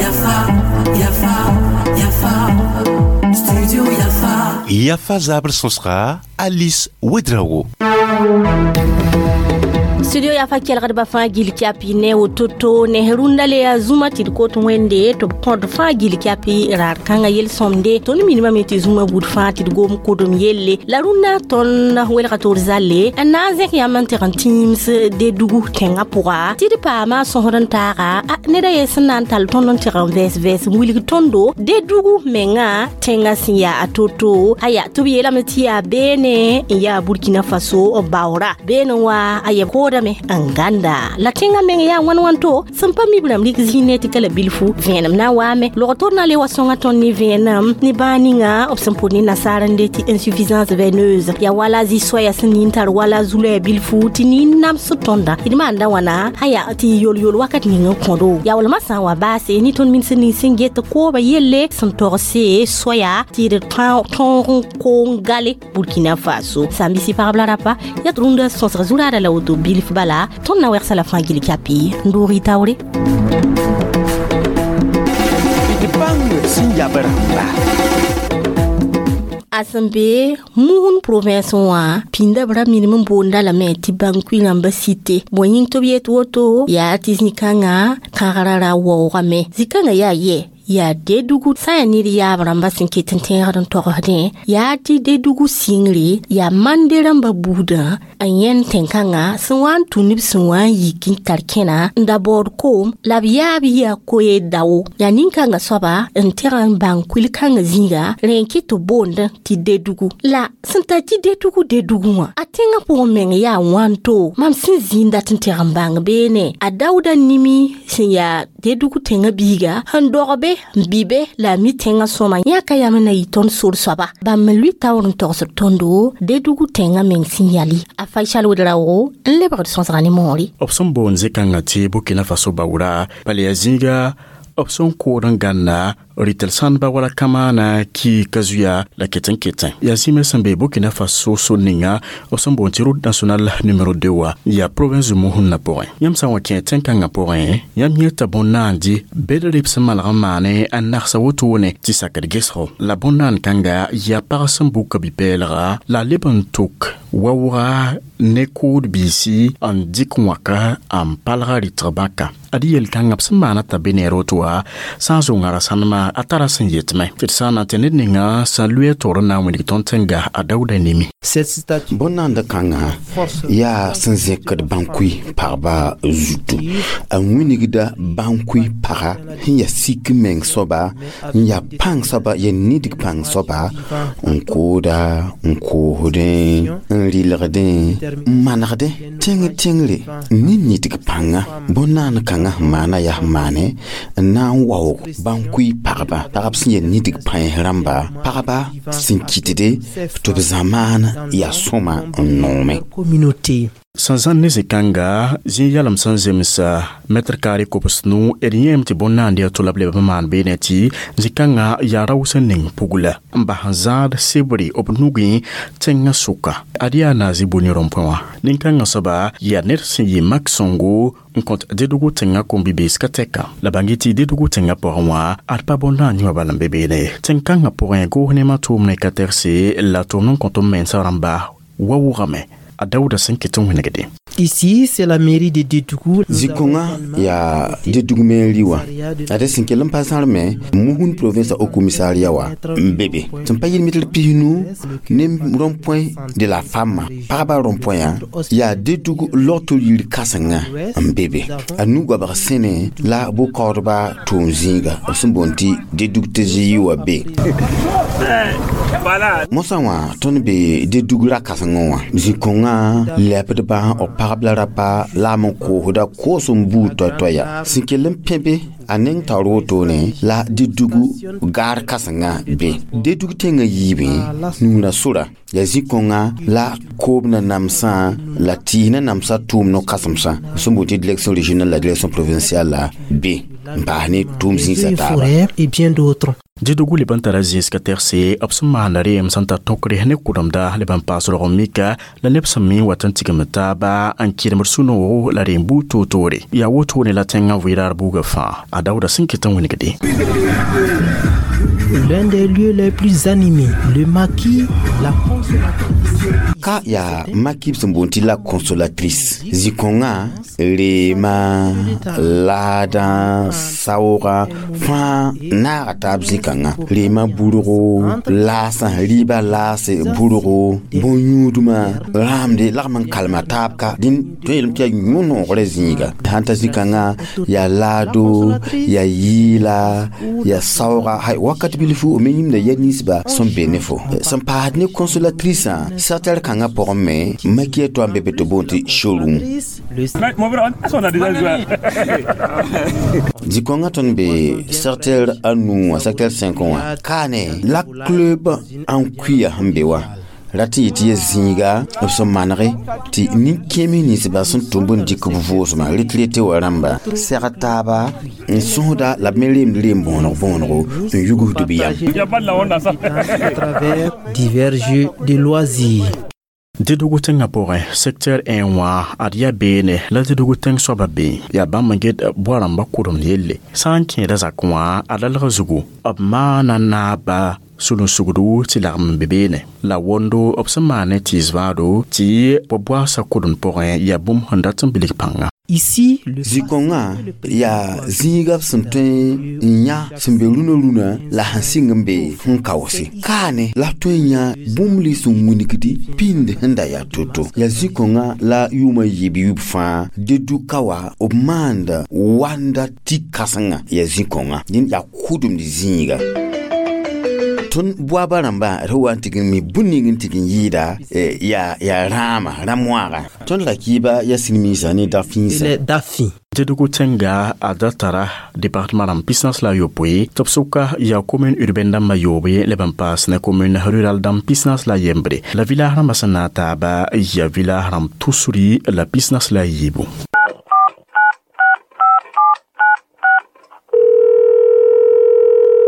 Yafa, Yafa, Yafa, Studio Yafa. Yafa zabr sõsga Alice Ouedraogo. Studio Yafa kelgdbã fãa gill kɛpɩ ne woto-to ne rũndã le yaa zũma tɩ d kot Wẽnde tɩ b kõt fãa gill kɛpɩ raar kãngã yel-sõmde. Tõnd minimame tɩ zũma buud fãa tɩ d gom kodem yelle la rũndã tõnd welga toor zalle n na n zẽk yãmb n tɩg n tĩims Dedugu tẽngã pʋga tɩ d paama sõsd n taaga neda ye sẽn na n tall tõnd n tɩg n vɛɛs n wilg tõndo Dedugu menga tẽngã sẽn yaa a to-to aya tɩ b yeelame tɩ yaa beene n yaa Burkina Faso baoora beene wã a yɛb koodame n gãnda la tẽngã meng yaa wãn wãnto sẽn pa mi b rãmb rɩk zĩig ne tɩ ka la bilfu vẽenem na n waame log tod na le wa sõnga tõnd ne vẽenem ne bãag ninga b sẽn pʋd ne nasaar n de tɩ insuffisance veineuse yaa wala zĩ-soɛya sẽn nin tar wala zu-loɛɛ bilfu tɩ nin nams tõnda d maanda wãna aya tɩ yol-yol wakat ning n kõdo yaa walmã sã n wa baase ne tõnd min sẽn ning sẽn get kooba yelle sẽn togse soɛya tɩ d tõog n koong gale Burkina Faso sãn-bisi pagb la rapa yaa tɩ rũndã sõsg zu-raada la woto bilf bala tõnd na wɛgsa la fãa gill kɛpɩ n doog y taoore. D bãng sẽn yab rãmba. A sẽn be Mouhoun province wã pĩnda b ra minim n boonda lame tɩ bãnkui rãmba site bõe yĩng tɩ b yet woto yaa tɩ zĩ-kãngã kãgra ra waoogame zĩ-kãngã yaa yɛ yaa Dedugu sã n yaa ned yaab rãmba sẽn ket n tẽegd n togsdẽ yaa tɩ Dedugu sɩngre yaa mande rãmba buudã n yẽnd tẽn-kãngã sẽn wa n tũ neb sẽn wa n yik n tar kẽna n da baood koom la b yaab yia koe dao yaa nin-kãngã soaba n tẽg n bãng kuil-kãngã zĩiga rẽ n kɩt tɩ boond tɩ Dedugu la sẽn tar tɩ Dedugu Dedugu wã a tẽngã pʋgẽ meng yaa wãnto mam sẽn zĩig dat n tẽg n bãng beene a Daouda Nimi sẽn yaa Dedugu tẽngã biiga sẽn dog be n bɩ be la a mi tẽngã sõma yãka yam n na yɩ tõnd sor soaba bãmb n lʋɩ taoor n togsd tõndo Dedugu tẽngã meng sẽn yali a Faisal Ouedraogo n lebgd sõsga ne moore. B sẽn boond zĩ-kãngã tɩ Burkina Faso baoora bala yaa zĩiga b sẽn kood n gãnna rɩtl sãndba wala kamaana ki ka zuya la ket n ketẽ yaa zĩme sẽn be Burkina Faso sor ninga b sẽn boond tɩ route nationale numéro 2 wa yaa province de Mouhoun pʋgẽ. Yãmb sã n wa kẽ tẽn-kãngã pʋgẽ yãmb yẽta bõn-naandi bed rɩb sẽn malg n maane n nagsa wotone tɩ sakd gesgo la bõn-naan kãnga yaa pag sẽn buka bi-pɛɛlga la a leb n tok waooga ne kood biisi n dɩk wãka n palga rɩtg bãka ad yel-kãngã b sẽn maana t'a be neer woto wã sã n zʋnga ra sãnema a tara sẽn yetme tɩ d sã n na n tɩ ned ninga sẽn lʋɩ a toor n na n wilg tõnd tẽnga a Daouda Nimi. Bõn-naand kãngã yaa sẽn zẽkd bãnkui pagba zutu a wilgda bãnkui paga sẽn yaa sik meng soaba n yaa pãng soaba yaa nidg pãng soaba n kooda n koosdẽ n rɩlgdẽ n manegdẽ tẽng tẽngre ne nidg pãnga bõn-naand kãngã sẽn maana yaa sẽn maane n na n waoog bãnkui pagba pagb sẽn yaa nidg pãens rãmba pagba sẽn kɩtde tɩ b zãmaan yaa sõma n noome. Sẽn zãn ne zĩ-kãnga zĩ yalem sẽn zemsa mɛtr kaare kobs-nu d yẽem tɩ bõn-naand yaa to la b leb n maan beene tɩ zĩ-kãngã yaa rao sẽn ning pugla n bas n zãad sebre b nugẽ tẽngã sʋka ad yaa naazɩ boni rõmpẽ wã nin-kãngã soaba yaa ned sẽn yɩ mak sõngo n kõt Dedugu tẽngã kom-bi-bees ka tɛka la bãng tɩ Dedugu tẽngã pʋgẽ wã ad pa bõn-naand yẽ wã bala n be beene tẽn-kãngã pʋgẽ goos nemã tʋʋmdẽ ka tɛgse la tʋʋmd n kõt n mensã rãmba waoogame a Daouda sẽn ket n wẽnegde. Ici, c'est la mairie de Dédougou. Zĩ-kõngã yaa Dedugu mairie wã ad sẽn kell n pa zãrmẽ Mouhoun province au commissariat wa n be be sẽn pa yɩl mitr 15 ne rond-point de la femme pagba rond-point yaa Dedugu logto yir kãsenga n be be a nu-goabg sẽne la bʋ-kaoodba tʋʋm zĩiga b sẽn boond tɩ Dedugu TGI wã be mosã wã tõnd be Dedugu ra-kãsengẽ wã zĩ-kõngã lɛbdbã b pagb la rapa la m n koosda koos n buud toay-toaya sẽn kell n pẽ be a neng taoor wotone la Dedugu gaar kãsengã be Dedugu tẽngã yiibẽ nuurã sora yaa zĩ-kõngã la koob na namsã la tɩɩs na namsã tʋʋm no-kãsemsã sẽn boond tɩ direction régionale la direction provinciale la be n paas ne tʋʋm zĩisã taaba. Et bien d'autres. Dédougou leb n tara zĩis ka tɛgse b sẽn maanda reem sẽn tar tõkre ne kʋdemda leb n paas rog n mika la neb sẽn mi n wat n tigimd taaba n kɩremd sũ-noogo la reem buud toor-toore yaa wotone la tẽngã vɩɩraar buugã fãa a daooda sẽn ket n wingde. L'un des lieux les plus animés, le maquis, la consolatrice. Ka yaa maki b sẽn boond tɩ la consolatrice zĩ-kõngã reema laadã saoogã fãa naaga taab zĩ-kãngã reema burgo laasã rɩɩbã laase burgo bõn-yũudmã rãamde lagm n kalma taab ka dĩn tõe yeelame tɩ yaa yũ-noogrã zĩiga sãn ta zĩ-kãngã yaa laado yaa yɩɩla yaa saooga hay wakat bilfu me yĩmda ya ninsba sẽn be ne fo sẽn paasd ne consolatrice secteur kãngã pʋgẽ me makia to n be be tɩ boond tɩ showroom zĩ-kõngã tõnd be secteur a nu wã secteur 5 wã kaane la club n kuiya sẽn be wã rat n yetɩ ya zĩiga b sẽn manege tɩ nin-kẽeme ninsba sẽn tʋmb n dɩk b vʋʋsmã retrete wã rãmba sɛg taaba n sõsda la b me reemd reem bõonego bõonego n yugsd b yam. À travers divers jeux de loisirs. Dédougou tẽngã pʋgẽ secteur 1 wã ad yaa beene la Dédougou tẽng soabã be yaa bãmb n get boa-rãmbã kʋdemd yelle sã n kẽeda zak wã a lalg zugu b maana naaba sulun-sugdu tɩ lagm n be beene la wondo b sẽn maan ne tɩɩs vaado tɩ bɔ-boaasã kʋdemd pʋgẽ yaa bũmb sẽn dat n bilg pãnga. Ici, le Zĩ-kõngã yaa zĩiga b sẽn tõe n yã sẽn be rũnã rũnã la sẽn sɩng n be sẽn kaoose kaane la b tõe n yã bũmb lins sẽn wilgdi pĩnd sẽn da yaa to-to yaa zĩ-kõngã la yʋʋmã yiib yub fãa Dedu ka wa b maanda wanda tɩ kãsenga yaa zĩ-kõngã dẽnd yaa kʋdemd zĩiga tõnd boaba rãmbã d wa n tɩg n mi bũn ning n tɩg n yɩɩda yaa rãama rã-moaaga tõnd ra kɩɩba yaa silmiisã ne dafĩisã. Les Dafi. Dédougou tẽnga a da tara département rãmb 48 tɩ b sʋka yaa commune urbaine dãmbã yoobe leb n paas ne commune rural dãmb 41 la village rãmbã sẽn na n taaba yaa village rãmb 314.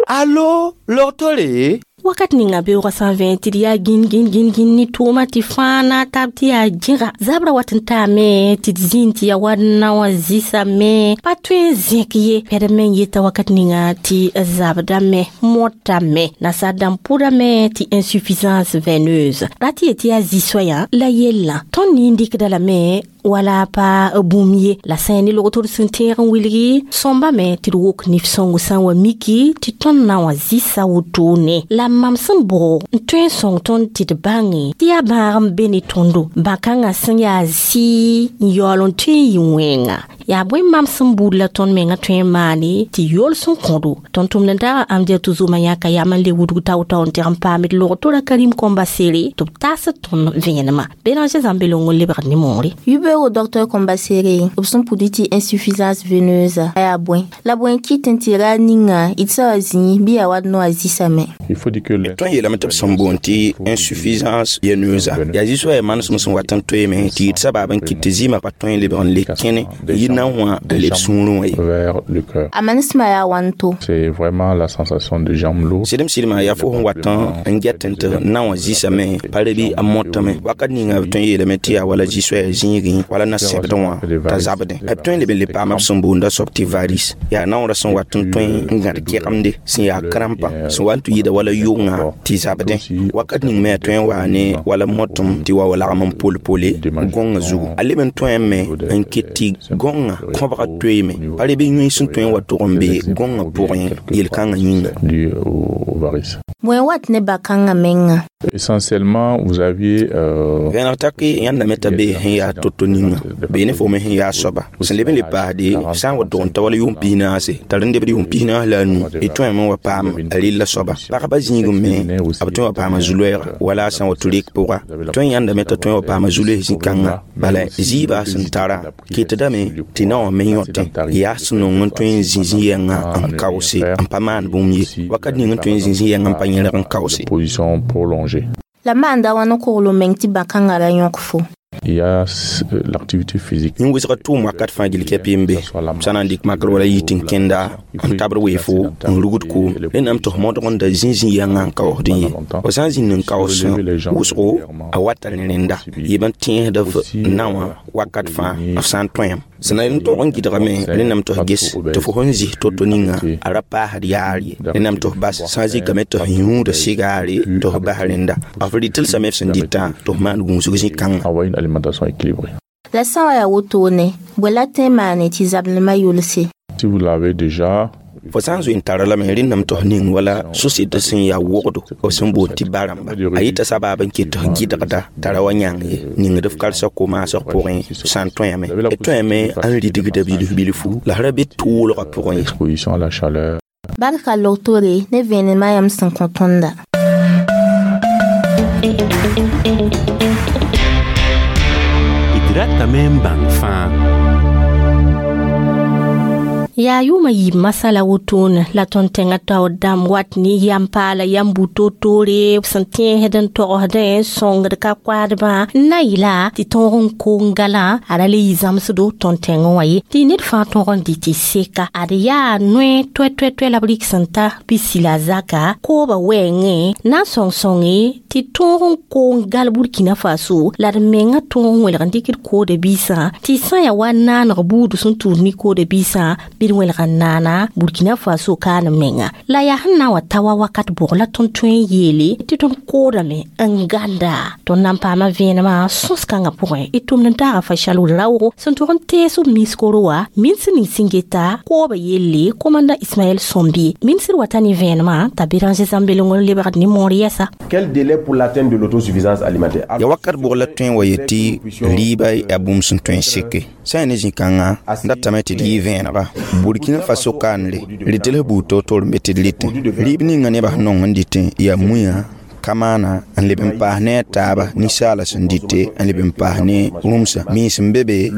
Allo, logtore. Wakat ninga beoogã sã n vẽ tɩ d yaa gĩn gĩn gĩn gĩn ne tʋʋmã tɩ fãa na n tab tɩ yaa gẽga zabra wat n taame tɩ d zĩnd tɩ yaa wa naowã zɩsame pa tõe n zẽk ye pɛd me n yeta wakat ninga tɩ zabdame motame nasaar dãmb pʋdame tɩ insuffisance veineuse rat yet tɩ yaa zĩ-soayã la yellã tõnd nin dɩkda lame wala pa bũmb ye la sã ne log-tod sẽn tẽeg n wilgi sõmba me tɩ d wok nif-sõngo sã n wa miki tɩ tõnd na wã zɩsa wotone la mam sẽn bʋg n tõe n sõng tõnd tɩ d bãnge tɩ yaa bãag n be ne tõndo bã-kãngã sẽn yaa sɩ n yaool n tõe n yɩ wẽnga yaa bõe mam sẽn buud la tõnd menga tõe n maane tɩ yool sẽn kõdo tõnd tʋmd n daga amdiatu zʋma yãka yam n le wudg tao-tao n tɩg n paamd log-tora Karim Kombasere tɩ b taas tõnd vẽenemã Béranger Zãmbelong n lebgd ne moore. Yubero docteur Kombasere b sẽn pʋd tɩ insuffisance veineuse yaa bõe la bõe kɩt n tɩ ra ninga d sã wa zĩ bɩ yaa wa noa zɩsame. Il faut dire que Tõe n yeelame tɩ b sẽn boond tɩ insuffisance veineuse yaa zĩ-soaya manesem sẽn wat n toeeme tɩ yɩ sabaab n kɩt tɩ zɩɩmã pa tõe n lebg n le kẽne n yɩ na n wã n leb sũurẽ wã ye. Vers le cœur. A manesmã yaa wãnto. C'est vraiment la sensation de jambes lourdes. Sɩdem sɩdmã yaa fo sẽn wat n get n tɩ na wã zɩsame pa re bɩ a motame wakat ninga b tõe n yeelame tɩ yaa wala zĩ-soaya zĩigẽ wala na sẽbdẽ wã t'a zabdẽ b tõe n leb n le paama b sẽn boonda soab tɩ varice yaa naoorã sẽn wat n tõe n gãd kɛgemde sẽn yaa krampa sẽn wa n tɩ yɩɩda wala yʋngã tɩ zabdẽ wakat ning me a tõe n waa ne wala motem tɩ wa wa lagm n pol-pole gõngã zugu a leb n tõe me n ket tɩ gõngã kõbga toeeme pa re bɩ yũy sẽn tõe n wa tʋg n be gõngã pʋgẽ yel-kãngã yĩnga. Dû au varice. Bõe wat ne bã-kãngã menga? Essentiellement, vous aviez Vẽneg tak yãndame t'a be sẽn yaa to-to ninga bee ne fo me sẽn yaa soaba sẽn leb n le paasde sã n wa tʋg n ta wala yʋʋm 44 t'a rẽnd lebd yʋʋm 45 d tõeme n wa paam a rella soaba pagba zĩigẽ me b tõe n wa paama zu-loɛɛga wala a sã n wa tɩ rek pʋga tõe n yãndame t'a tõe n wa paama zu-loees zĩ-kãnga bala zɩɩbã sẽn tara ketdame tɩ na wã me yõtẽ yaa sẽn nong n tõe n zĩ zĩ-yɛngã n kaoose n pa maan bũmb ye wakat ning n tõe n zĩ zĩ-yɛngã n pa yẽrg n kaoose. Position prolongée. La maanda wãn n kogl meng tɩ bã-kãngã ra yõk fo. Il y a l'activité physique. Yẽ wɩsga tʋʋm wakat fãa gill kɛpɩ n be sã na n dɩk makr wala yɩ tɩ n kẽnda n tabd weefo n rugd koom rẽndame tɩ f modg n da zĩ-zĩ yãngã n kaoosdẽ ye fo sã n zĩnd n kaoos wʋsgo a wata ne rẽnda yɩ b n tẽesd f na wã wakat fãa f sã n tõem sẽn na n tog n gɩdgame rẽndame tɩ f ges tɩ fo sẽn zis to-to ninga a ra paasd yaar ye rẽndame tɩ f bas sã n zikame tɩ f yũuda sigaare tɩ f bas rẽnda f rɩtelsame f sẽn dɩtã tɩ f maan gũusg zĩ-kãngã. Avoir une alimentation équilibrée. La sã wa yaa wotone bõe la tõe n maane tɩ zablmã yʋlse? Si vous l'avez déjà, fo sã n zoe n tara lame rẽndame tɩ f ning wala sʋsɩd sẽn yaa wogdo b sẽn boond tɩ ba rãmba a yɩta sabaab n ket tɩ f gɩdgda t'a ra wa yãng ye ningd f kalsg ko-maasg pʋgẽ sã n tõeme d tõeme n ridgda bilf bilfu la f ra be toolgã pʋgẽ ye. Exposition à la chaleur. Barka loktore ne vẽenemã yãmb sẽn kõ tõnda. D ratame n bãng fãa. Yaa yʋʋmã yiib masã la wotone la tõnd tẽngã taoor dãmb wat ne yam paala yam bu-to-toore b sẽn tẽesd n togsdẽ sõngd ka koaadbã n na yɩla tɩ tõog n kong galã a ra le yɩ zãmsdo tõnd tẽngẽ wã ye tɩ ned fãa tõg n dɩ tɩ seka ad yaa noe toɛ-toɛ-toɛ la b rɩk sẽn ta pisi la zaka kooba wɛɛngẽ na n sõng-sõnge tɩ tõog n kong gal Burkina Faso la d menga tõog n welg n dɩkd kooda biisã tɩ sã n yaa wa naaneg buud sẽn tuud ne kooda biisã bɩ d welg n naana Burkina Faso kaan menga la yaa sẽn na n wa ta wa wakat bʋg la tõnd tõe n yeele tɩ tõnd koodame n gãnda tõnd na n paama vẽenemã sõs-kãngã pʋgẽ d tʋmd n taaga fashal raoogo sẽn tʋg n tees b miskoro wã ministr ning sẽn geta kooba yelle komanda Ismaɛl Sõmbi ministr wata ne vẽenemã t'a Béranger Zãmbelengr lebgd ne moor yɛsa. Quel délai pour l'atteinte de l'autosuffisance alimentaire? Ya wakat bʋg la tõe n wa yetɩ rɩɩbã yaa bũmb sẽn tõe n seke sã n yaa ne zĩ-kãngã datame tɩ d yɩ vẽenega Burkina Faso kaanre rɩtls buud to-to n be tɩ d rɩtẽ rɩɩb ninga nebã sẽn nong n dɩtẽ yaa mũyã kamaana n leb n paas ne a taaba ninsaala sẽn dɩte n leb n paas ne rũmsã mens n be be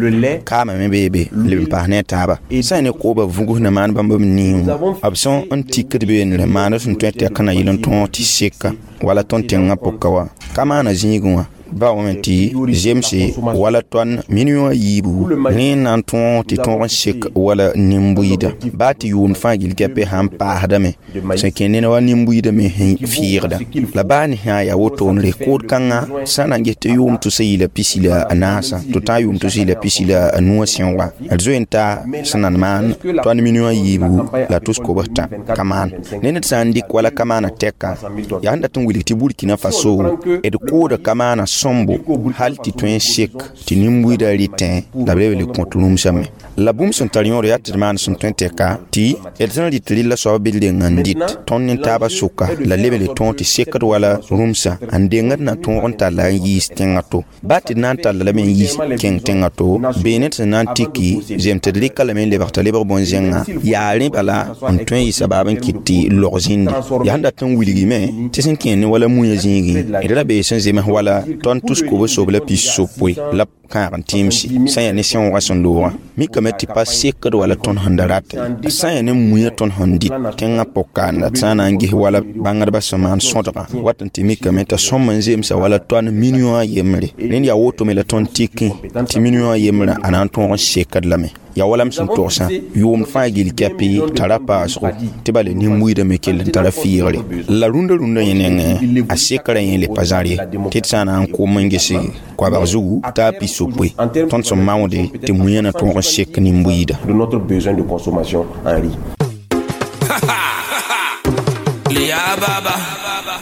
kaamã me bee be n leb n paas ne a taaba sã n ne kooba vugs na maan bãmb b niiwã b sẽn n tikd beene maand sẽn tõe tɩ ka na yɩl n tõog tɩ seka wala tõnd tẽngã pʋka wã kamaana zĩigẽ wã ba wame tɩ zemse wala tõnd million a yiibu rẽ n na n tõog tɩ tõog n sek wala nin-buiida baa tɩ yʋʋmd fãa gill kɛpɛ sãn paasdame sẽn kẽ ned wa nin-buiida me sẽn fɩɩgda la baa ne sã yaa wotone kood kãngã sã na n ges tɩ yʋʋm tʋsa yɩla pisi la a naasã tɩ tã yʋʋm tʋsa yɩla pisi la a nuwã sẽoga d zoe n ta sẽn na n maan tõnd million a yiibu la tʋs kobs tã ka maan ne ned sã n dɩk wala kamaana tɛka yaa sẽn dat n wilg tɩ Burkina Faso d kooda kamaana sõmbo hal tɩ tõe n sek tɩ nin-buiidã rɩtẽ la b leb le kõt rũmsame la bũmb sẽn tar yõod yaa tɩ d maan sẽn tõe n tɛka tɩ d sẽn rɩt rɩlla soab bɩ d reng n dɩt tõnd ne taabã sʋka la leb le tõog tɩ sekd wala rũmsã n dengd na tõog n talla n yiis tẽngã to baa tɩ d na n talla lame n yiis kẽng tẽngã to beene tɩ na n tiki zem tɩ d rɩka lame n lebg t'a lebg bõn-zẽngã yaa rẽ bala n tõe n yɩ sabaab n kɩt tɩ log zĩndi yaa sẽn dat n wilgime tɩ sẽn kẽ ne wala mũyã zĩigẽ d ra bee sẽn zems wala tõnd tus kobo sob la pis sopoe la kãag n tẽemse sã n yaa ne sẽoogã sẽn loogã mikame tɩ pa sekd wala tõnd sẽn da ratẽ sã n yaa ne mũyã tõnd sẽn dɩt tẽngã pʋg-kaanda sã n na n ges wala bãngdbã sẽn maan sõdgã wat n tɩ mikame t'a sõm n zemsa wala tõnd million a yembre rẽnd yaa wotome la tõnd tikẽ tɩ million a yembrã a na n tõog n sekd lame yaa wala m sẽn togsã yʋʋmd fãa gill kɛpɩ tara paasgo tɩ bala nin-buiidã me kell n tara fɩɩgre la rũndã rũndã yẽ nengẽ a sekrã yẽ le pa zãr ye tɩ d sã n na n kom n ges koabg zugu t'a pis sopoe tõnd sẽn maoode tɩ mũyã na tõog n sek nin-buiida. De notre besoin de consommation en riz.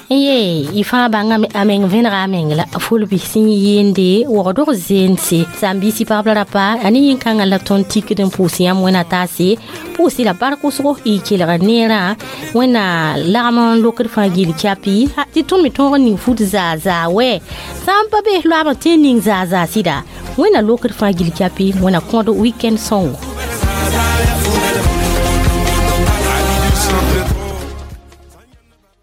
Ye y fãa bãnga a meng vẽnega a meng la fulbi sẽn yɩɩnde wogdg zeense zãmbiisi pagb la rapa a ne yĩn-kãngã la tõnd tikd n pʋʋs yãmb wẽna taase pʋʋs la bark wʋsgo y kelg neerã wẽnna lagm n lokd fãa gill kɛpɩ tɩ tõnd me tõog n ning fut zaa zaa wɛ sã n pa be loab n tẽ n ning zaa zaa sɩda wẽnna lokd fãa gill kɛpɩ wẽnna kõd weekend sõngo.